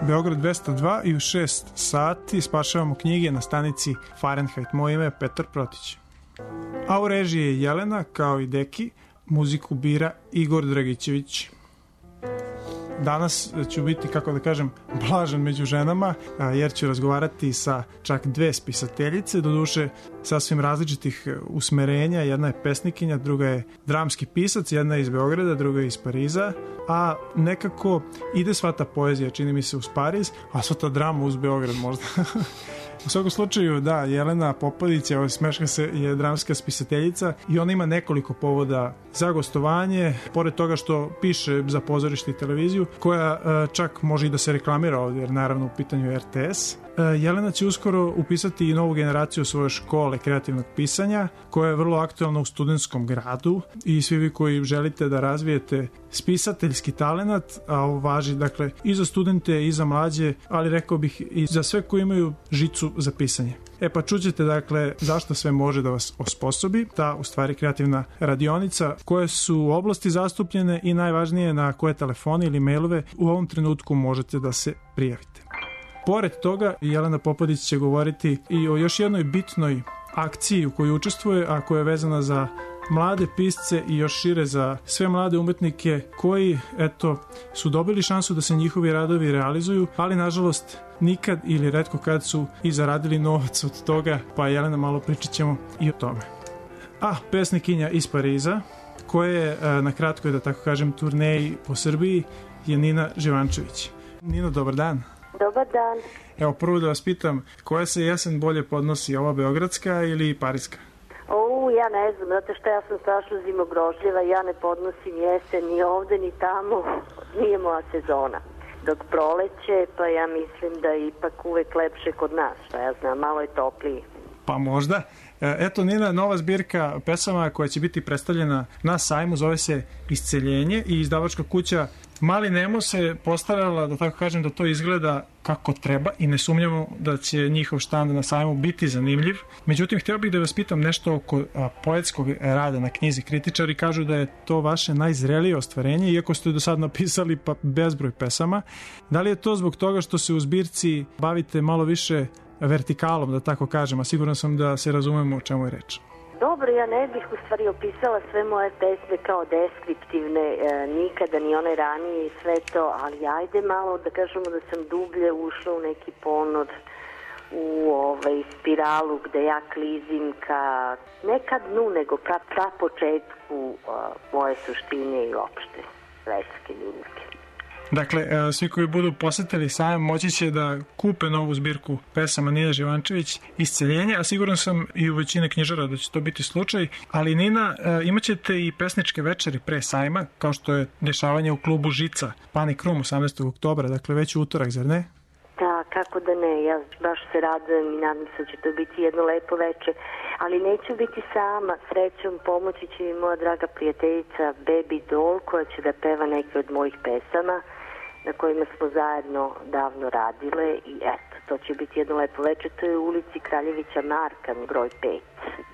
Beograd 202 i u 6 sati spašavamo knjige na stanici Fahrenheit. Moje ime je Petar Protić. A u režiji je Jelena, kao i Deki, muziku bira Igor Dragićević. Danas ću biti, kako da kažem, blažan među ženama, jer ću razgovarati sa čak 2 spisateljice, doduše sasvim različitih usmerenja. Jedna je pesnikinja, druga je dramski pisac, jedna je iz Beograda, druga je iz Pariza, a nekako ide sva ta poezija, čini mi se, uz Pariz, a sva ta drama uz Beograd možda. U svakom slučaju, da, Jelena Popadić, smeška se, je dramska spisateljica i ona ima nekoliko povoda za gostovanje, pored toga što piše za pozorište i televiziju, koja čak može i da se reklamira ovdje, jer naravno u pitanju je RTS. Jelena će uskoro upisati i novu generaciju svoje škole kreativnog pisanja, koja je vrlo aktualna u Studentskom gradu, i svi vi koji želite da razvijete spisateljski talenat, a ovo važi dakle i za studente i za mlađe, ali rekao bih i za sve koji imaju žicu za pisanje. Pa čućete dakle zašto sve može da vas osposobi ta u stvari kreativna radionica, koje su oblasti zastupljene i najvažnije na koje telefone ili mailove u ovom trenutku možete da se prijavite. Pored toga, Jelena Popadić će govoriti i o još jednoj bitnoj akciji u kojoj učestvuje, a koja je vezana za mlade pisce i još šire za sve mlade umetnike koji, eto, su dobili šansu da se njihovi radovi realizuju, ali nažalost nikad ili retko kad su i zaradili novac od toga, pa Jelena malo pričat ćemo i o tome. A pesnikinja iz Pariza, koja je na kratkoj, da tako kažem, turneji po Srbiji, je Nina Živančević. Nino, dobar dan. Dobar dan. Evo, prvo da vas pitam, koja se jesen bolje podnosi, ova beogradska ili pariska? Ja ne znam, zato što ja sam strašno zimogrožljiva, ja ne podnosim jesen ni ovde ni tamo, nije moja sezona. Dok proleće, pa ja mislim da je ipak uvek lepše kod nas, šta ja znam, malo je topliji. Pa možda. Eto, Nina, nova zbirka pesama koja će biti predstavljena na sajmu, zove se Isceljenje, i izdavačka kuća Mali Nemo se postarala, da tako kažem, da to izgleda kako treba, i ne sumnjamo da će njihov štand na sajmu biti zanimljiv. Međutim, htio bih da vas pitam nešto oko poetskog rada na knjizi. Kritičari kažu da je to vaše najzrelije ostvarenje, iako ste do sad napisali pa bezbroj pesama. Da li je to zbog toga što se u zbirci bavite malo više vertikalom, da tako kažem, a siguran sam da se razumemo o čemu je reč? Dobro, ja ne bih u stvari opisala sve moje pesme kao deskriptivne, nikada ni one ranije i sve to, ali ajde malo da kažemo da sam dublje ušla u neki ponor, u spiralu gde ja klizim ka, ne ka dnu, nego ka početku moje suštine i opšte svetske ljudske. Dakle, svi koji budu posetili sajam moći će da kupe novu zbirku pesama Nine Živančević Isceljenje, a siguran sam i u većine knjižara da će to biti slučaj. Ali Nina, imat ćete i pesničke večeri pre sajma, kao što je dešavanje u klubu Žica, Panic Room 18. oktobra, dakle već u utorak, zar ne? Da, kako da ne, ja baš se radujem i nadam se da će to biti jedno lepo večer, ali neću biti sama, srećom pomoći će mi moja draga prijateljica Baby Doll, koja će da peva neke od mojih pesama na kojima smo zajedno davno radile, i eto, to će biti jedno lepo večer, to je u ulici Kraljevića Marka, broj 5.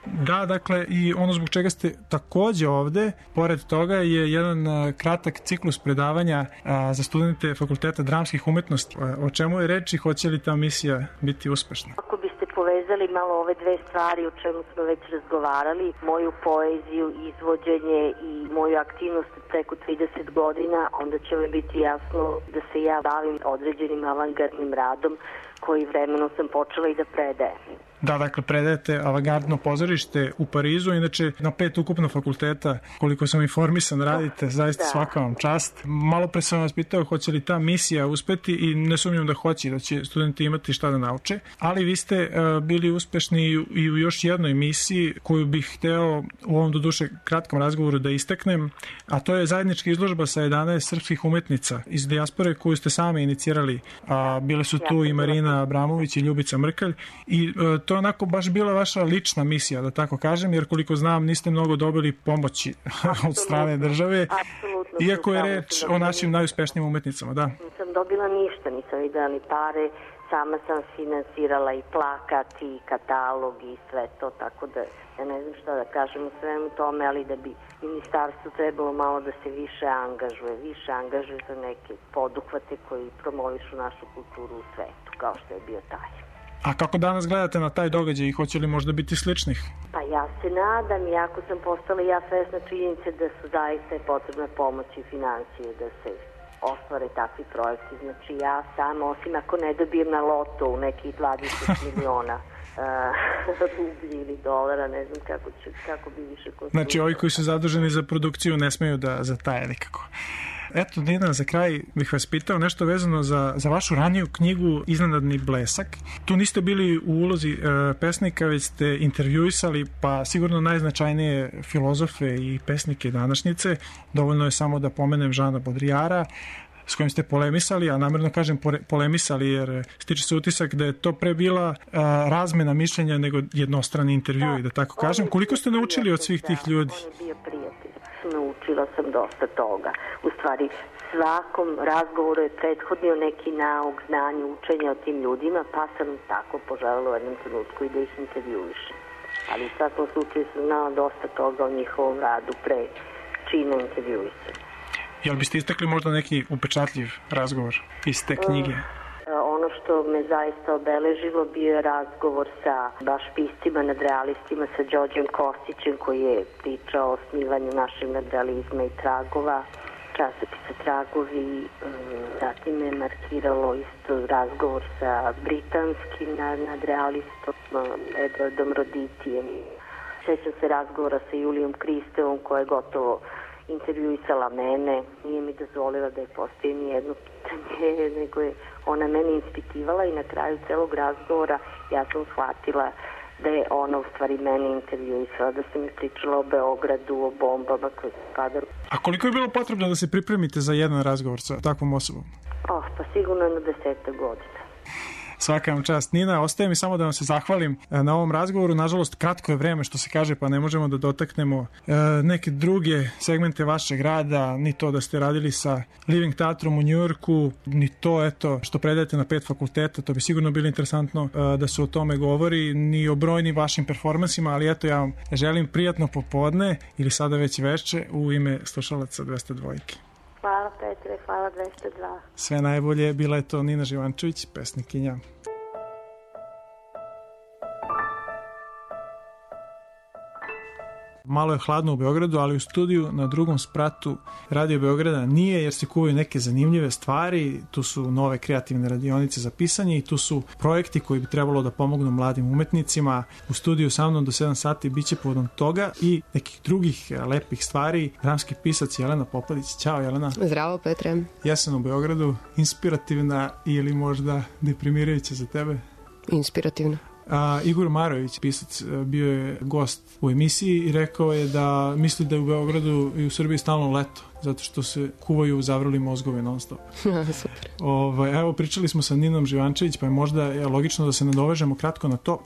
Da, dakle, i ono zbog čega ste takođe ovde, pored toga je jedan kratak ciklus predavanja za studente Fakulteta dramskih umetnosti. O čemu je reč i hoće li ta misija biti uspešna? Ako biste povezali malo ove dve stvari o čemu smo već razgovarali, moju poeziju, izvođenje i moju aktivnost preko 30 godina, onda će mi biti jasno da se ja bavim određenim avangardnim radom koji vremenom sam počela i da predajem. Da, dakle, predajete avangardno pozorište u Parizu, inače na 5 ukupno fakulteta, koliko sam informisan, radite, zaista svaka vam čast. Malo pre sam vas pitao hoće li ta misija uspeti i ne sumnjam da hoće, da će studenti imati šta da nauče, ali vi ste bili uspešni i u još jednoj misiji koju bih hteo u ovom doduše kratkom razgovoru da istaknem, a to je zajednička izložba sa 11 srpskih umetnica iz dijaspore koju ste sami inicirali. Bile su tu i Marina Abramović i Ljubica Mrkalj, i to je onako baš bila vaša lična misija, da tako kažem, jer koliko znam niste mnogo dobili pomoći od strane države, iako je reč o našim najuspešnijim umetnicama, da. Nisam dobila ništa, nisam videla ni pare, sama sam finansirala i plakat i katalog i sve to, tako da ja ne znam šta da kažem u svemu tome, ali da bi ministarstvo trebalo malo da se više angažuje za neke poduhvate koji promovišu našu kulturu u svetu, kao što je bio taj. A kako danas gledate na taj događaj i hoće li možda biti sličnih? Pa ja se nadam, iako sam postala ja svesna činjenice da su zaista potrebna pomoć i financije da se ostvare takvi projekti. Znači ja sam, osim ako ne dobijem na loto u nekih 20 miliona rublji ili dolara, ne znam kako bi više konstruirao. Znači ovi koji su zaduženi za produkciju ne smeju da zataje nikako. Eto, Nina, za kraj bih vas pitao nešto vezano za vašu raniju knjigu Iznenadni blesak. Tu niste bili u ulozi pesnika, već ste intervjuisali pa sigurno najznačajnije filozofe i pesnike današnjice. Dovoljno je samo da pomenem Žana Bodrijara, s kojim ste polemisali, a namjerno kažem polemisali jer stiče se utisak da je to pre bila razmena mišljenja nego jednostrani intervju i da tako kažem. Koliko ste naučili od svih tih ljudi? On je bio prijatelj. Naučila sam dosta toga. U stvari, svakom razgovoru je prethodnio neki nauk, znanje, učenje o tim ljudima, pa sam tako poželjela u jednom trenutku i da ih intervjuišem. Ali u svakom slučaju sam znala dosta toga o njihovom radu pre čina intervjuisanja. Jel biste istakli možda neki upečatljiv razgovor iz te knjige? Ono što me zaista obeležilo bio je razgovor sa baš piscima, nadrealistima, sa Đorđem Kostićem koji je pričao o osnivanju našeg nadrealizma i tragova, časopisa Tragovi. Zatim me markiralo isto razgovor sa britanskim nadrealistom Edwardom Roditijem. Sjećam se razgovora sa Julijom Kristevom koja je gotovo intervjuisala mene, nije mi dozvolila da je postoji nijedno pitanje, nego je ona mene ispitivala i na kraju celog razgovora ja sam shvatila da je ona u stvari mene intervjuisala, da sam mi pričala o Beogradu, o bombama koje su padale. A koliko je bilo potrebno da se pripremite za jedan razgovor sa takvom osobom? Pa sigurno jedno 10 godina. Svaka vam čast. Nina, ostaje mi samo da vam se zahvalim na ovom razgovoru. Nažalost, kratko je vreme što se kaže, pa ne možemo da dotaknemo neke druge segmente vašeg rada, ni to da ste radili sa Living teatrom u Njujorku, ni to što predajete na 5 fakulteta, to bi sigurno bilo interesantno da se o tome govori, ni o brojnim vašim performansima, ali eto ja vam želim prijatno popodne ili sada već veče u ime slušalaca 202. Hvala Petre, hvala 202. Sve najbolje, bila je to Nina Živančević, pesnikinja. Malo je hladno u Beogradu, ali u studiju na drugom spratu Radio Beograda nije, jer se kuvaju neke zanimljive stvari. Tu su nove kreativne radionice za pisanje i tu su projekti koji bi trebalo da pomognu mladim umetnicima. U studiju sa mnom do 7 sati bit će povodom toga i nekih drugih lepih stvari. Dramski pisac Jelena Popadić. Ćao Jelena. Zdravo Petre. Jesen u Beogradu, inspirativna ili možda deprimirajuća za tebe? Inspirativna. Igor Marović, pisac, bio je gost u emisiji i rekao je da misli da je u Beogradu i u Srbiji stalno leto, zato što se kuvaju zavrli mozgovi non stop. Super. Evo, pričali smo sa Ninom Živančević, pa je možda logično da se nadovežemo kratko na to.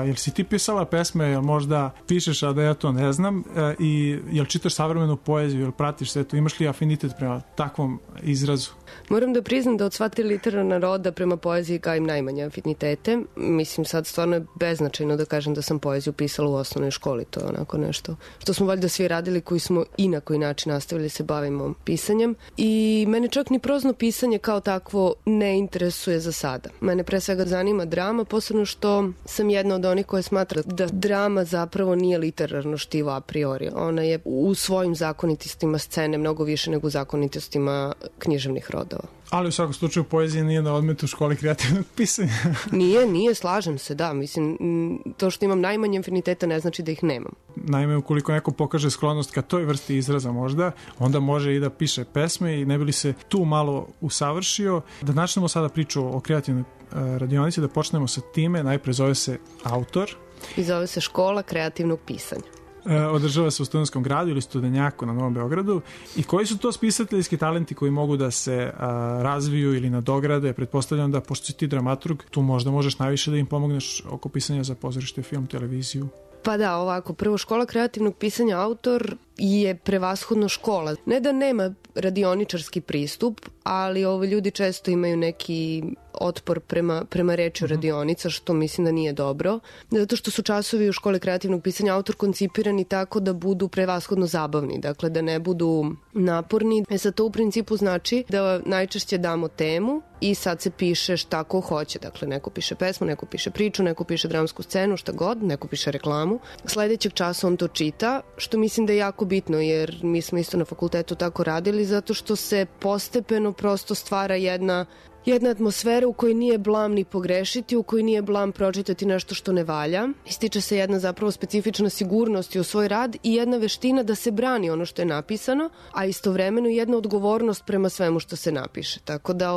Jel si ti pisala pesme, jel možda pišeš, a da ja to ne znam, i jel čitaš savremenu poeziju, jel pratiš sve to, imaš li afinitet prema takvom izrazu? Moram da priznam da od sva 3 literarna roda prema poeziji gajim najmanje afinitete. Mislim, sad stvarno je beznačajno da kažem da sam poeziju pisala u osnovnoj školi, to je onako nešto što smo valjda svi radili koji smo i na koji način nastavili se bavimo pisanjem. I mene čak ni prozno pisanje kao takvo ne interesuje za sada. Mene pre svega zanima drama, posebno što sam jedna od onih koja smatra da drama zapravo nije literarno štivo a priori. Ona je u svojim zakonitostima scene mnogo više nego u zakonitostima književnih rodova. Ali u svakom slučaju poezija nije na odmetu u školi kreativnog pisanja. Nije, slažem se, da. Mislim, to što imam najmanje afiniteta ne znači da ih nemam. Naime, ukoliko neko pokaže sklonost ka toj vrsti izraza možda, onda može i da piše pesme i ne bi li se tu malo usavršio. Da načnemo sada priču o kreativnoj radionici, da počnemo sa time. Najpre zove se Autor. I zove se Škola kreativnog pisanja. Održava se u Studentskom gradu ili Studenjaku na Novom Beogradu. I koji su to spisateljski talenti koji mogu da se razviju ili nadograde? Pretpostavljam da, pošto si ti dramaturg, tu možda možeš najviše da im pomogneš oko pisanja za pozorište, film, televiziju. Pa da, ovako, prvo Škola kreativnog pisanja Autor je prevashodno škola. Ne da nema radioničarski pristup, ali ljudi često imaju neki otpor prema reči radionica, što mislim da nije dobro. Zato što su časovi u školi kreativnog pisanja autor koncipirani tako da budu prevashodno zabavni, dakle da ne budu naporni. Sad to u principu znači da najčešće damo temu i sad se piše šta ko hoće. Dakle, neko piše pesmu, neko piše priču, neko piše dramsku scenu, šta god, neko piše reklamu. Sledećeg časa on to čita, što mislim da je jako bitno, jer mi smo isto na fakultetu tako radili, zato što se postepeno prosto stvara jedna atmosfera u kojoj nije blam ni pogrešiti, u kojoj nije blam pročitati nešto što ne valja. Ističe se jedna zapravo specifična sigurnost u svoj rad i jedna veština da se brani ono što je napisano, a istovremeno jedna odgovornost prema svemu što se napiše. Tako da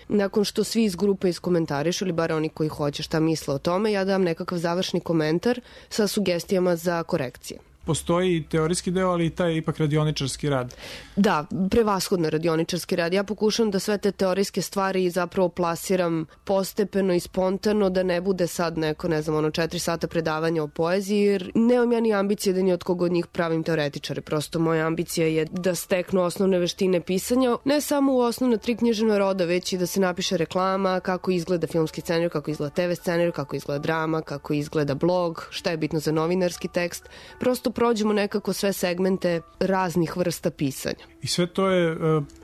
nakon što svi iz grupe iskomentarišu, ili bar oni koji hoće šta misle o tome, ja dam nekakav završni komentar sa sugestijama za korekcije. Postoji i teorijski deo, ali i taj ipak radioničarski rad. Da, prevashodno radioničarski rad. Ja pokušam da sve te teorijske stvari zapravo plasiram postepeno i spontano, da ne bude sad neko, 4 sata predavanja o poeziji, jer nemam ja ni ambicije da ni od koga od njih pravim teoretičare. Prosto moja ambicija je da steknu osnovne veštine pisanja, ne samo u osnovna 3 književna roda, već i da se napiše reklama, kako izgleda filmski scenarij, kako izgleda TV scenarij, kako izgleda drama, kako izgleda blog, šta je bitno za novinarski tekst. Prosto prođemo nekako sve segmente raznih vrsta pisanja. I sve to je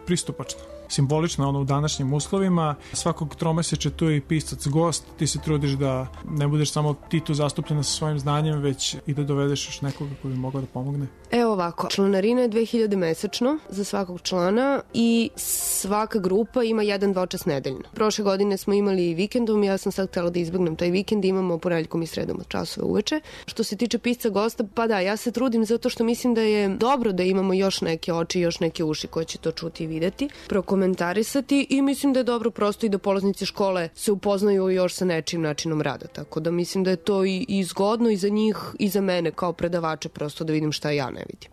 pristupačno. Simbolično u današnjim uslovima. Svakog tromesečja tu je i pisac gost. Ti se trudiš da ne budeš samo ti tu zastupljena sa svojim znanjem, već i da dovedeš još nekoga koji bi mogao da pomogne. Evo ovako, članarina je 2000 mesečno za svakog člana i svaka grupa ima 1 dvočas nedeljno. Prošle godine smo imali i vikendom, ja sam sad htjela da izbegnem taj vikend, imamo ponedeljkom i sredom od časove uveče. Što se tiče pisca gosta, pa da, ja se trudim zato što mislim da je dobro da imamo još neke oči, još neke uši koje će to čuti i videti, prokomentarisati, i mislim da je dobro prosto i da polaznici škole se upoznaju još sa nečim načinom rada. Tako da mislim da je to i zgodno i za njih i za mene kao predavača, prosto da vidim šta ja ne vidim.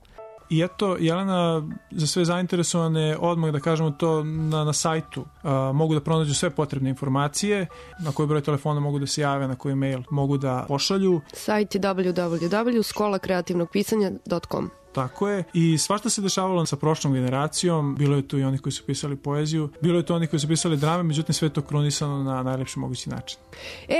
I eto, Jelena, za sve zainteresovane, odmah da kažemo to na sajtu, mogu da pronađu sve potrebne informacije, na koji broj telefona mogu da se jave, na koji mail mogu da pošalju. Sajt je www.skolakreativnogpisanja.com. Tako je. I svašta se dešavalo sa prošlom generacijom. Bilo je tu i oni koji su pisali poeziju, bilo je tu oni koji su pisali drame, međutim sve to krunisano na najlepši mogući način.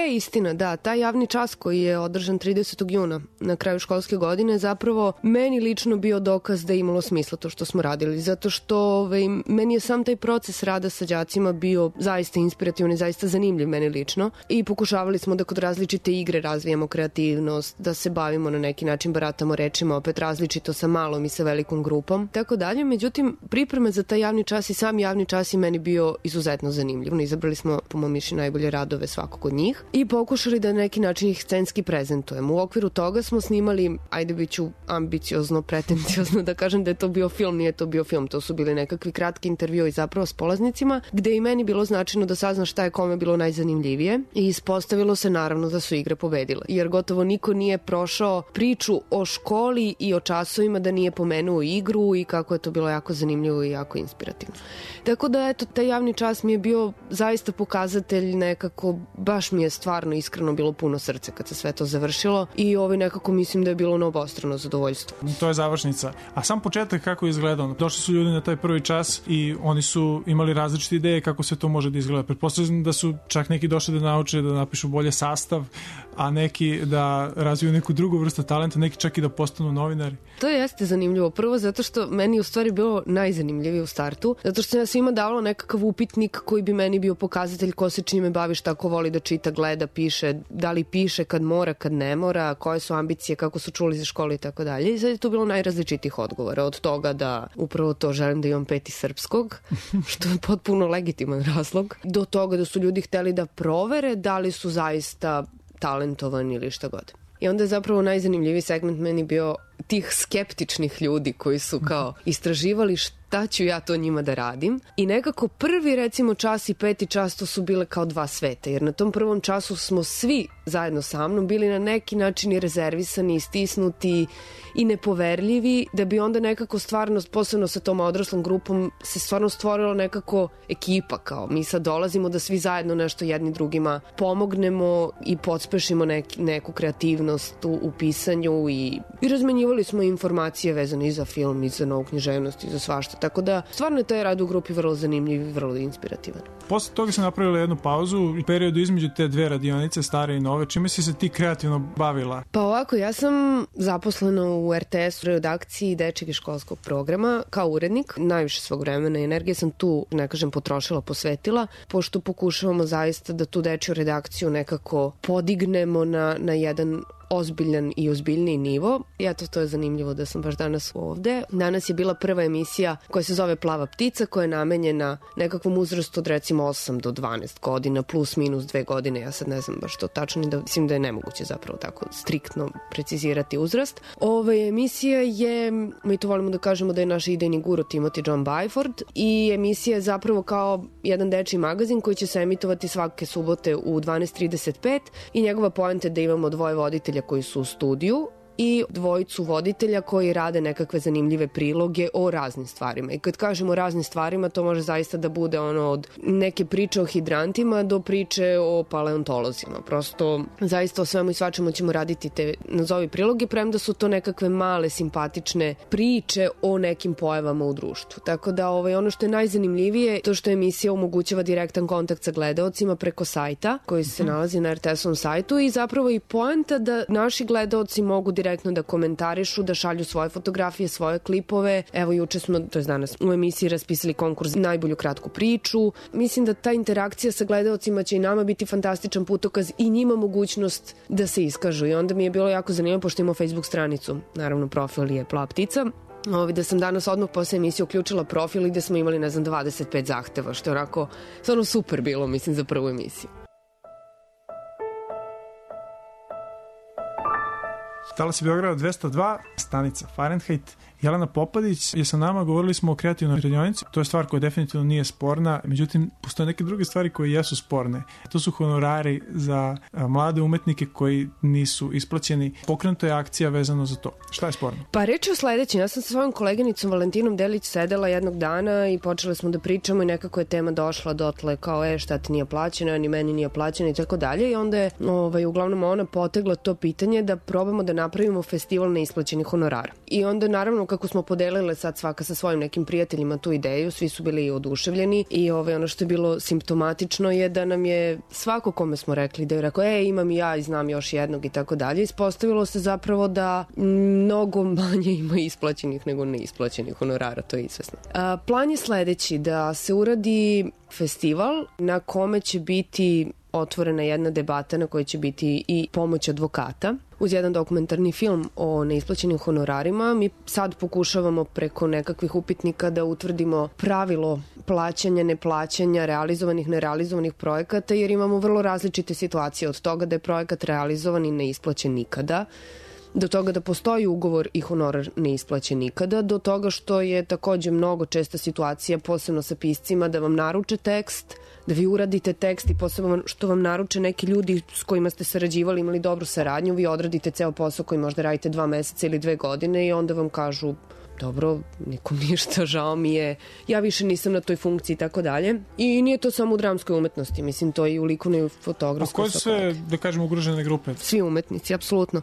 Istina, da. Taj javni čas koji je održan 30. juna na kraju školske godine zapravo meni lično bio dokaz da je imalo smisla to što smo radili. Zato što meni je sam taj proces rada sa đacima bio zaista inspirativan i zaista zanimljiv meni lično. I pokušavali smo da kod različite igre razvijamo kreativnost, da se bavimo na neki način, baratamo rečima, opet različito sa malom i sa velikom grupom, tako dalje. Međutim, pripreme za taj javni čas i sam javni čas je meni bio izuzetno zanimljiv. Izabrali smo, po mom mišljenju, najbolje radove svakog od njih i pokušali da na neki način ih scenski prezentujemo. U okviru toga smo snimali, ajde biću ambiciozno, pretenciozno da kažem da je to bio film, nije to bio film, to su bili nekakvi kratki intervjui zapravo s polaznicima, gde i meni bilo značajno da saznam šta je kome bilo najzanimljivije, i ispostavilo se naravno da su igre pobedile, jer gotovo niko nije prošao priču o školi i o časovima da nije pomenuo igru i kako je to bilo jako zanimljivo i jako inspirativno. Tako da, eto, taj javni čas mi je bio zaista pokazatelj nekako, baš mi je stvarno iskreno bilo puno srce kad se sve to završilo i nekako mislim da je bilo na obostrano zadovoljstvo. To je završnica. A sam početak kako je izgledao? Došli su ljudi na taj prvi čas i oni su imali različite ideje kako sve to može da izgleda. Pretpostavljam da su čak neki došli da nauče da napišu bolje sastav, a neki da razviju neku drugu vrstu talenta, neki čak i da postanu novinari. To jeste zanimljivo. Prvo zato što meni u stvari bilo najzanimljivije u startu, zato što sam ja svima davala nekakav upitnik koji bi meni bio pokazatelj ko se čime bavi, šta ko voli da čita, gleda, piše, da li piše kad mora, kad ne mora, koje su ambicije, kako su čuli za školu i tako dalje. I sad je to bilo najrazličitih odgovora, od toga da upravo to želim da imam 5 srpskog, što je potpuno legitiman razlog, do toga da su ljudi hteli da provere da li su zaista talentovani ili šta god. I onda je zapravo najzanimljiviji segment meni bio tih skeptičnih ljudi koji su kao istraživali šta ću ja to njima da radim. I nekako prvi, recimo, čas i 5. čas to su bile kao dva sveta, jer na tom prvom času smo svi zajedno sa mnom bili na neki način i rezervisani, stisnuti i nepoverljivi, da bi onda nekako stvarno, posebno sa tom odraslom grupom, se stvarno stvorilo nekako ekipa, kao mi sad dolazimo da svi zajedno nešto jedni drugima pomognemo i podspešimo neku kreativnost u pisanju i razmenjivanje razmenjivali smo informacije vezane i za film, i za novu književnost, i za svašta. Tako da, stvarno je taj rad u grupi vrlo zanimljiv i vrlo inspirativan. Posle toga sam napravila jednu pauzu u periodu između te dve radionice, stare i nove. Čime si se ti kreativno bavila? Pa ovako, ja sam zaposlena u RTS-u redakciji dečjeg i školskog programa kao urednik. Najviše svog vremena i energije sam tu, ne kažem, potrošila, posvetila, pošto pokušavamo zaista da tu dečju redakciju nekako podignemo na jedan ozbiljan i ozbiljniji nivo. I eto, to je zanimljivo da sam baš danas ovde. Danas je bila prva emisija koja se zove Plava ptica, koja je namenjena nekakvom uzrastu od recimo 8 do 12 godina, plus minus 2 godine. Ja sad ne znam baš to tačno i da mislim da je nemoguće zapravo tako striktno precizirati uzrast. Ova emisija je, mi to volimo da kažemo da je naš idejni guru Timothy John Byford, i emisija je zapravo kao jedan dečiji magazin koji će se emitovati svake subote u 12:35 i njegova poenta je da imamo dvoje voditelja koji su u studiju i dvojicu voditelja koji rade nekakve zanimljive priloge o raznim stvarima. I kad kažemo o raznim stvarima, to može zaista da bude od neke priče o hidrantima do priče o paleontolozima. Prosto, zaista o svemu i svačemu ćemo raditi te nazovi priloge, premda su to nekakve male, simpatične priče o nekim pojavama u društvu. Tako da ono što je najzanimljivije, to što emisija omogućava direktan kontakt sa gledaocima preko sajta koji se nalazi na RTS-ovom sajtu, i zapravo i poenta da naši gledaoci mogu direktno da komentarišu, da šalju svoje fotografije, svoje klipove. Evo, juče smo, to je danas, u emisiji raspisali konkurs za najbolju kratku priču. Mislim da ta interakcija sa gledaocima će i nama biti fantastičan putokaz i njima mogućnost da se iskažu. I onda mi je bilo jako zanimljivo, pošto imamo Facebook stranicu, naravno profil je Plava ptica, da sam danas odmah posle emisije uključila profil i da smo imali, 25 zahteva, što je onako stvarno super bilo, mislim, za prvu emisiju. Talas je Beograda 202, stanica Fahrenheit. Jelena Popadić je sa nama, govorili smo o kreativnoj radionici. To je stvar koja definitivno nije sporna, međutim, postoje neke druge stvari koje jesu sporne. To su honorari za mlade umetnike koji nisu isplaćeni. Pokrenuta je akcija vezano za to. Šta je sporno? Pa reč je o sledećem. Ja sam sa svojom koleginicom Valentinom Delić sedela jednog dana i počeli smo da pričamo i nekako je tema došla dotle kao šta ti nije plaćeno, ni meni nije plaćeno i tako dalje. I onda je uglavnom ona potegla to pitanje da probamo da napravimo festival neisplaćenih honorara. I onda naravno kako smo podelile sad svaka sa svojim nekim prijateljima tu ideju, svi su bili oduševljeni i ono što je bilo simptomatično je da nam je svako kome smo rekli da je rekao imam i ja i znam još jednog i tako dalje, ispostavilo se zapravo da mnogo manje ima isplaćenih nego neisplaćenih honorara, to je izvesno. Plan je sledeći, da se uradi festival na kome će biti otvorena jedna debata na kojoj će biti i pomoć advokata uz jedan dokumentarni film o neisplaćenim honorarima. Mi sad pokušavamo preko nekakvih upitnika da utvrdimo pravilo plaćanja, neplaćanja, realizovanih, nerealizovanih projekata, jer imamo vrlo različite situacije od toga da je projekat realizovan i ne isplaćen nikada, do toga da postoji ugovor i honorar ne isplaćen nikada, do toga što je takođe mnogo česta situacija, posebno sa piscima, da vam naruče tekst, da vi uradite tekst i posebno što vam naruče neki ljudi s kojima ste sarađivali, imali dobru saradnju, vi odradite ceo posao koji možda radite 2 meseca ili 2 godine i onda vam kažu dobro, nikom ništa, žao mi je, ja više nisam na toj funkciji i tako dalje. I nije to samo u dramskoj umetnosti, mislim, to je i u likovnoj i fotografskoj. A koje sve, da kažemo, ugrožene grupe? Svi umetnici, apsolutno.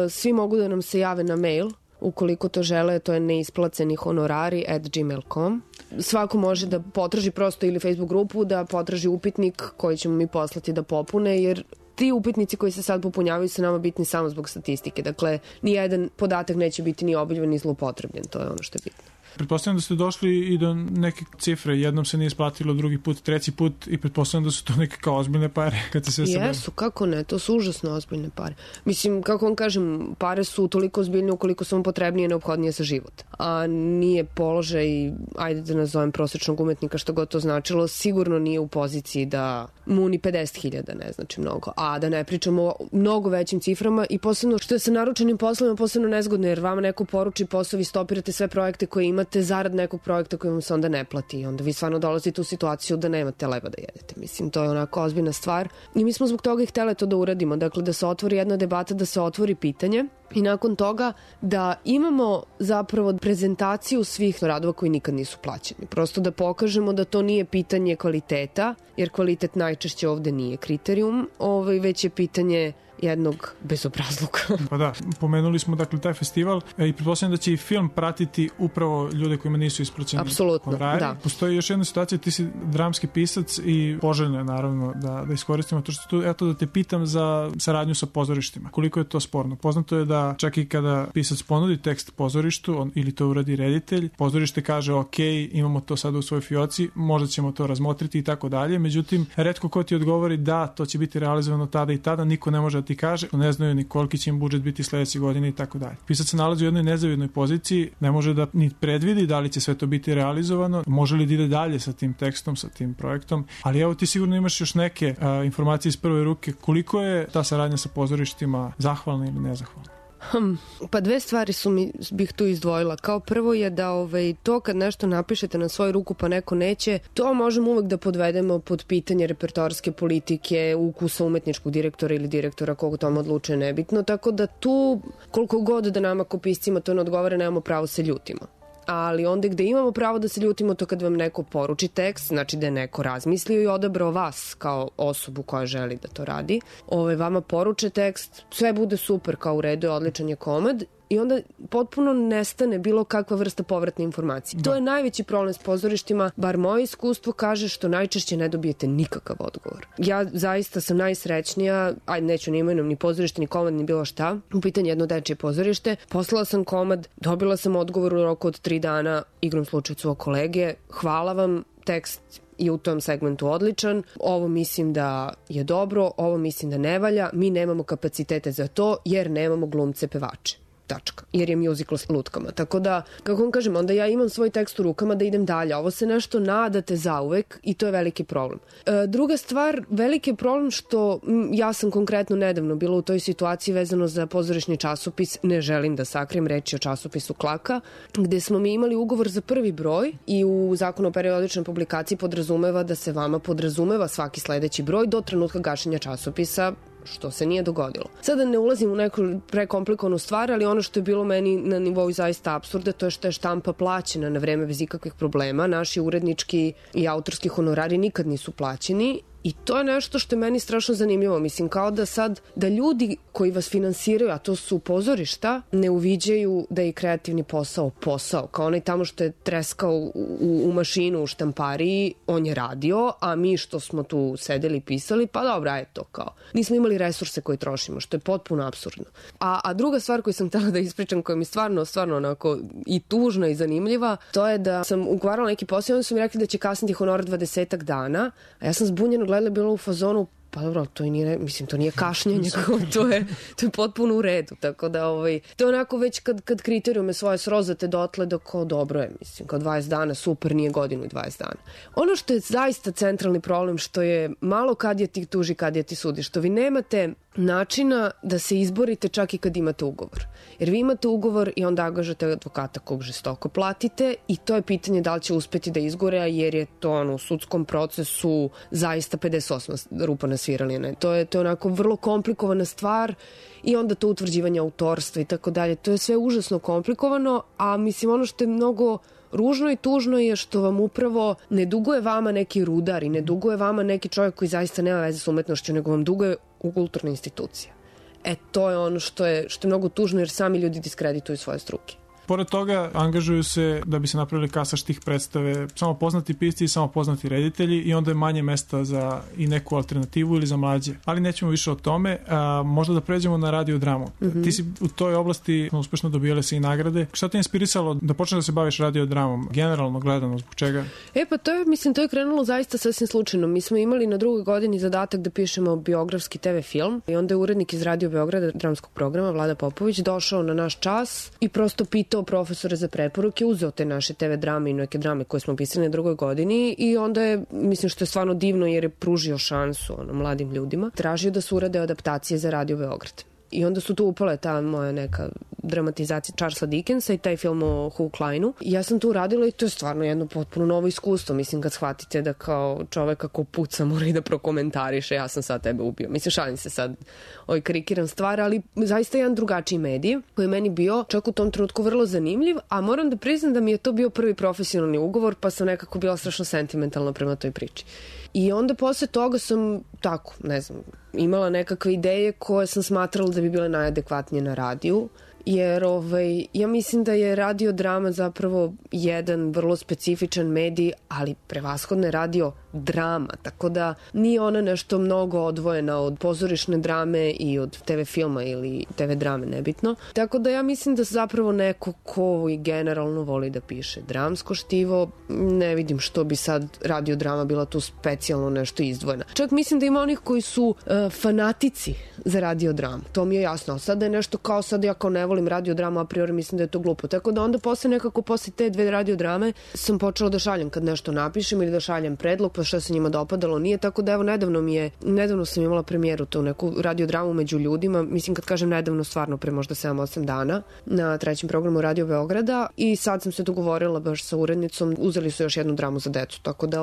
Svi mogu da nam se jave na mail, ukoliko to žele, to je neisplaceni_honorari@gmail.com. Svako može da potraži prosto ili Facebook grupu, da potraži upitnik koji ćemo mi poslati da popune, jer ti upitnici koji se sad popunjavaju su nama bitni samo zbog statistike. Dakle, nijedan podatak neće biti ni obiljen ni zloupotrebljen. To je ono što je bitno. Pretpostavljam da ste došli i do neke cifre. Jednom se nije isplatilo, drugi put, treći put i pretpostavljam da su to neke kao ozbiljne pare kad se sve sabere. Jesu, kako ne, to su užasno ozbiljne pare. Mislim, kako vam kažem, pare su toliko ozbiljne ukoliko su vam potrebnije i neophodnije za život. A nije položaj, ajde da nazovem prosječnog umetnika, što god to značilo, sigurno nije u poziciji da mu ni 50.000 ne znači mnogo. A da ne pričamo o mnogo većim ciframa i posebno što je sa naručenim poslovima posebno nezgodno, jer vama neko poruči posao, vi stopirate sve projekte koje imate zarad nekog projekta koji vam se onda ne plati i onda vi stvarno dolazite u situaciju da nemate leba da jedete. Mislim, to je onako ozbiljna stvar i mi smo zbog toga i htjeli to da uradimo. Dakle, da se otvori jedna debata, da se otvori pitanje i nakon toga da imamo zapravo prezentaciju svih radova koji nikad nisu plaćeni. Prosto da pokažemo da to nije pitanje kvaliteta, jer kvalitet najčešće ovde nije kriterijum, već je pitanje jednog bezobrazluka. Pa da, pomenuli smo dakle taj festival i pretpostavljam da će i film pratiti upravo ljude kojima nisu isplaćeni honorari. Da. Postoji još jedna situacija, ti si dramski pisac i poželjno je naravno da iskoristimo to što tu, eto da te pitam za saradnju sa pozorištima. Koliko je to sporno? Poznato je da čak i kada pisac ponudi tekst pozorištu ili to uradi reditelj, pozorište kaže ok, imamo to sada u svojoj fioci, možda ćemo to razmotriti i tako dalje. Međutim, retko ko ti odgovori da to će biti realizovano tada i tada, niko ne može da ti kaže, ne znaju ni koliki će im budžet biti sledeće godine i tako dalje. Pisac se nalazi u jednoj nezavidnoj poziciji, ne može da ni predvidi da li će sve to biti realizovano, može li da ide dalje sa tim tekstom, sa tim projektom, ali evo ti sigurno imaš još neke informacije iz prve ruke, koliko je ta saradnja sa pozorištima zahvalna ili nezahvalna? Pa dve stvari bih tu izdvojila. Kao prvo je da to kad nešto napišete na svoju ruku pa neko neće, to možemo uvek da podvedemo pod pitanje repertoarske politike, ukusa umetničkog direktora ili direktora koga tome odlučuje, nebitno, tako da tu koliko god da nama ko piscima to ne odgovara, nemamo pravo se ljutimo. Ali onda gde imamo pravo da se ljutimo to kad vam neko poruči tekst, znači da je neko razmislio i odabrao vas kao osobu koja želi da to radi. Vama poruče tekst, sve bude super, kao u redu je, odličan je komad i onda potpuno nestane bilo kakva vrsta povratne informacije. Da. To je najveći problem s pozorištima, bar moje iskustvo kaže što najčešće ne dobijete nikakav odgovor. Ja zaista sam najsrećnija, neću ni imenom, ni pozorište, ni komad, ni bilo šta. U pitanju jedno dečije pozorište. Poslala sam komad, dobila sam odgovor u roku od 3 dana, igrom slučaju svog kolege. Hvala vam, tekst je u tom segmentu odličan, ovo mislim da je dobro, ovo mislim da ne valja, mi nemamo kapacitete za to jer nemamo glumce pevače. Tačka. Jer je musical s lutkama. Tako da, kako vam kažem, onda ja imam svoj tekst u rukama da idem dalje. Ovo se nešto nadate zauvek i to je veliki problem. Druga stvar, veliki je problem što ja sam konkretno nedavno bila u toj situaciji vezano za pozorišni časopis, ne želim da sakrijem, reč je o časopisu Klaka, gde smo mi imali ugovor za prvi broj i u zakonu o periodičnoj publikaciji podrazumeva da se vama podrazumeva svaki sledeći broj do trenutka gašenja časopisa, što se nije dogodilo. Sada ne ulazim u neku prekomplikovanu stvar, ali ono što je bilo meni na nivou zaista apsurda, to je što je štampa plaćena na vreme bez ikakvih problema. Naši urednički i autorski honorari nikad nisu plaćeni. I to je nešto što je meni strašno zanimljivo. Mislim, kao da sad, da ljudi koji vas finansiraju, a to su pozorišta, ne uviđaju da je kreativni posao. Kao onaj tamo što je treskao u mašinu u štampariji, on je radio, a mi što smo tu sedeli i pisali, pa dobra je to kao. Nismo imali resurse koje trošimo, što je potpuno apsurdno. A druga stvar koju sam htela da ispričam, koja mi stvarno onako i tužna i zanimljiva, to je da sam ugovarala neki posao i onda su mi rekli da će kasniti honorar 20 dana, a ja sam zbunjeno gledala, bilo u fazonu, pa dobro, to nije kašnjenje, to je potpuno u redu, tako da to je onako već kad kriterijume svoje srozate dotle da kao dobro je, mislim, kao 20 dana, super, nije godinu i 20 dana. Ono što je zaista centralni problem, što je malo kad je ti tuži, kad je ti sudi, što vi nemate načina da se izborite čak i kad imate ugovor. Jer vi imate ugovor i onda angažate advokata kog žestoko platite i to je pitanje da li će uspeti da izgore, jer je to u sudskom procesu zaista 58 rupa nasvirali. To je onako vrlo komplikovana stvar i onda to utvrđivanje autorstva i tako dalje. To je sve užasno komplikovano, a mislim ono što je mnogo ružno i tužno je što vam upravo ne duguje vama neki rudar i ne duguje vama neki čovjek koji zaista nema veze s umetnošću, nego vam duguje u kulturne institucije. To je ono što je mnogo tužno jer sami ljudi diskredituju svoje struke. Pored toga, angažuju se da bi se napravili kasaš tih predstave samo poznati pisci i samo poznati reditelji i onda je manje mesta za i neku alternativu ili za mlađe. Ali nećemo više o tome. Možda da pređemo na radiodramu. Ti si u toj oblasti uspešno dobijale se i nagrade. Šta te je inspirisalo da počneš da se baviš radiodramom? Generalno gledano, zbog čega? Pa to je krenulo zaista sasvim slučajno. Mi smo imali na drugoj godini zadatak da pišemo biografski TV film i onda je urednik iz Radio Beograda dramskog programa Vlada Popović došao na naš čas i prosto pitao profesore za preporuke, uzeo te naše TV drame i neke drame koje smo pisali na drugoj godini i onda je, mislim što je stvarno divno jer je pružio šansu mladim ljudima, tražio da se urade adaptacije za Radio Beograd. I onda su tu upale ta moja neka dramatizacija Charlesa Dickensa i taj film o Hugh Kleinu. I ja sam tu radila i to je stvarno jedno potpuno novo iskustvo. Mislim, kad shvatite da kao čovek ako puca mora i da prokomentariše, ja sam sad tebe ubio. Mislim, šalim se sad, karikiram stvar, ali zaista jedan drugačiji medij koji je meni bio čak u tom trenutku vrlo zanimljiv, a moram da priznam da mi je to bio prvi profesionalni ugovor, pa sam nekako bila strašno sentimentalna prema toj priči. I onda posle toga sam tako, ne znam, imala nekakve ideje koje sam smatrala da bi bile najadekvatnije na radiju, jer ja mislim da je radiodrama zapravo jedan vrlo specifičan medij, ali prevashodno je radiodrama, tako da nije ona nešto mnogo odvojena od pozorišne drame i od TV filma ili TV drame, nebitno. Tako da ja mislim da zapravo neko ko i generalno voli da piše dramsko štivo, ne vidim što bi sad radiodrama bila tu specijalno nešto izdvojena. Čak mislim da ima onih koji su fanatici za radiodramu, to mi je jasno. Sad da je nešto kao sad ja kao ne volim radiodramu, a priori mislim da je to glupo. Tako da onda posle te 2 radiodrame sam počela da šaljem kad nešto napišem ili da šaljem predlog, pa što se njima dopadalo nije. Tako da evo nedavno sam imala premijeru tu neku radiodramu među ljudima, mislim kad kažem nedavno stvarno pre možda 7-8 dana na 3. programu Radio Beograda i sad sam se dogovorila baš sa urednicom, uzeli su još jednu dramu za decu, tako da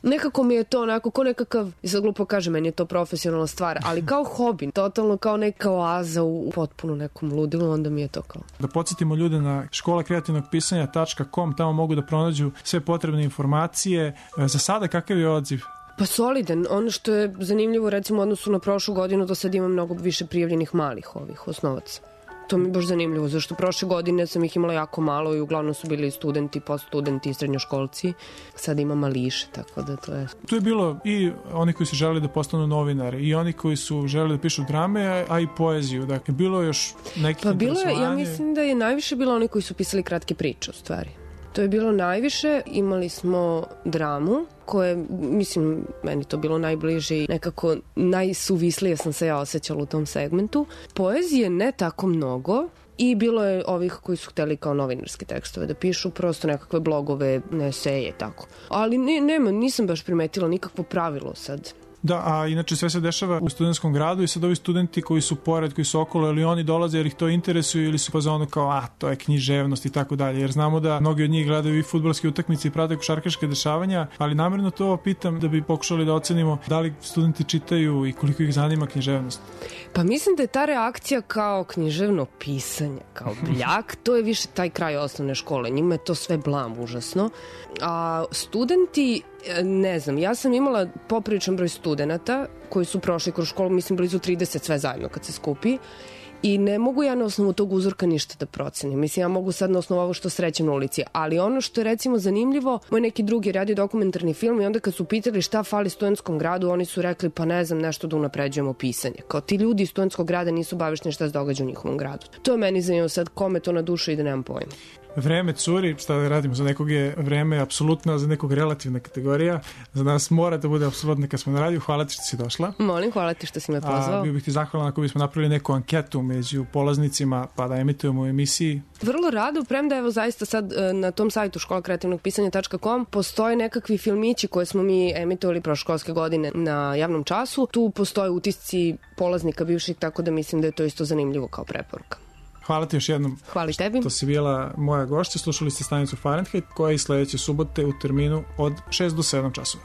nekako mi je to onako ko nekakav, i sad glupo kažem, meni je to profesionalna stvar, ali kao hobi, totalno kao neka oaza u potpuno nekom ludilu, onda mi je to kao. Da podsjetimo ljude na školakreativnogpisanja.com, tamo mogu da pronađu sve potrebne informacije. Za sada kakav je odziv? Pa solidan. Ono što je zanimljivo recimo u odnosu na prošlu godinu, do sad ima mnogo više prijavljenih malih osnovaca. To mi je baš zanimljivo, zašto prošle godine sam ih imala jako malo i uglavnom su bili studenti, poststudenti i srednjoškolci. Sad ima mališe, tako da to je... Tu je bilo i oni koji su želeli da postanu novinari i oni koji su želeli da pišu drame, a i poeziju. Dakle, bilo je još nekih interesovanja. Ja mislim da je najviše bilo oni koji su pisali kratke priče, u stvari. To je bilo najviše. Imali smo dramu, koje, mislim, meni to bilo najbliže i nekako najsuvislije sam se ja osjećala u tom segmentu. Poezije ne tako mnogo i bilo je ovih koji su hteli kao novinarske tekstove da pišu, prosto nekakve blogove, eseje, tako. Ali nisam baš primetila nikakvo pravilo sad. Da, a inače sve se dešava u studentskom gradu i sad ovi studenti koji su pored, koji su okolo, ili oni dolaze jer ih to interesuje ili su pa za ono kao, to je književnost i tako dalje, jer znamo da mnogi od njih gledaju i fudbalske utakmice i prate košarkaške dešavanja, ali namerno to pitam da bi pokušali da ocenimo da li studenti čitaju i koliko ih zanima književnost. Pa mislim da je ta reakcija kao književno pisanje, kao bljak, to je više taj kraj osnovne škole, njima je to sve blam užasno, a studenti, ne znam, ja sam imala popriličan broj studenata koji su prošli kroz školu, mislim blizu 30 sve zajedno kad se skupi, i ne mogu ja na osnovu tog uzorka ništa da procenim. Mislim, ja mogu sad na osnovu ovo što srećem na ulici, ali ono što je recimo zanimljivo, moj neki drugi radio dokumentarni film i onda kad su pitali šta fali studentskom gradu, oni su rekli pa ne znam, nešto da unapređujemo pisanje. Kao ti ljudi iz studentskog grada nisu bavišni šta se događa u njihovom gradu. To je meni zanimljivo sad, kome to na dušu i da nemam pojma. Vreme curi, šta da radimo, za nekog je vreme apsolutna, za nekog relativna kategorija, za nas mora da bude apsolutna kad smo na radiju. Hvala ti što si došla. Molim, hvala ti što si me pozvao. Bio bih ti zahvalan ako bismo napravili neku anketu među polaznicima pa da emitujemo u emisiji. Vrlo rado, premda evo zaista sad na tom sajtu školakreativnogpisanja.com postoje nekakvi filmići koje smo mi emitovali proškolske godine na javnom času. Tu postoje utisci polaznika bivših, tako da mislim da je to isto zanimljivo kao preporuka. Hvala ti još jednom. Hvala tebi. To si bila moja gošća. Slušali ste stanicu Fahrenheit koja je sledeće subote u terminu od 6 do 7 časova.